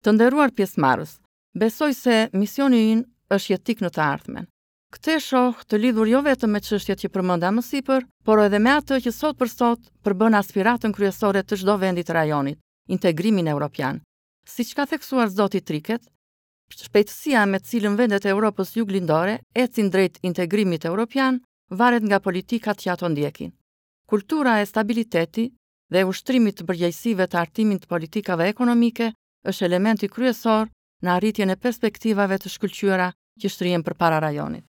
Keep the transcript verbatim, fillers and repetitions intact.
Të nderuar pjesëmarrës, besoj se misioni ynë është jetik në të ardhmen. Këtë e shoh të lidhur jo vetëm me çështjet që përmenda më sipër, por edhe me atë që sot për sot përbën aspiratën kryesore të çdo vendi të rajonit, integrimin evropian. Siç ka theksuar zoti Triket, shpejtësia me të cilën vendet e Europës juglindore ecin drejt integrimit evropian varet nga politikat që ato ndjekin. Kultura e stabilitetit dhe e ushtrimit të përgjegjësive të hartimit të politikave ekonomike është elementi kryesor në arritjen e perspektivave të shkëlqyera që shtrihen përpara rajonit.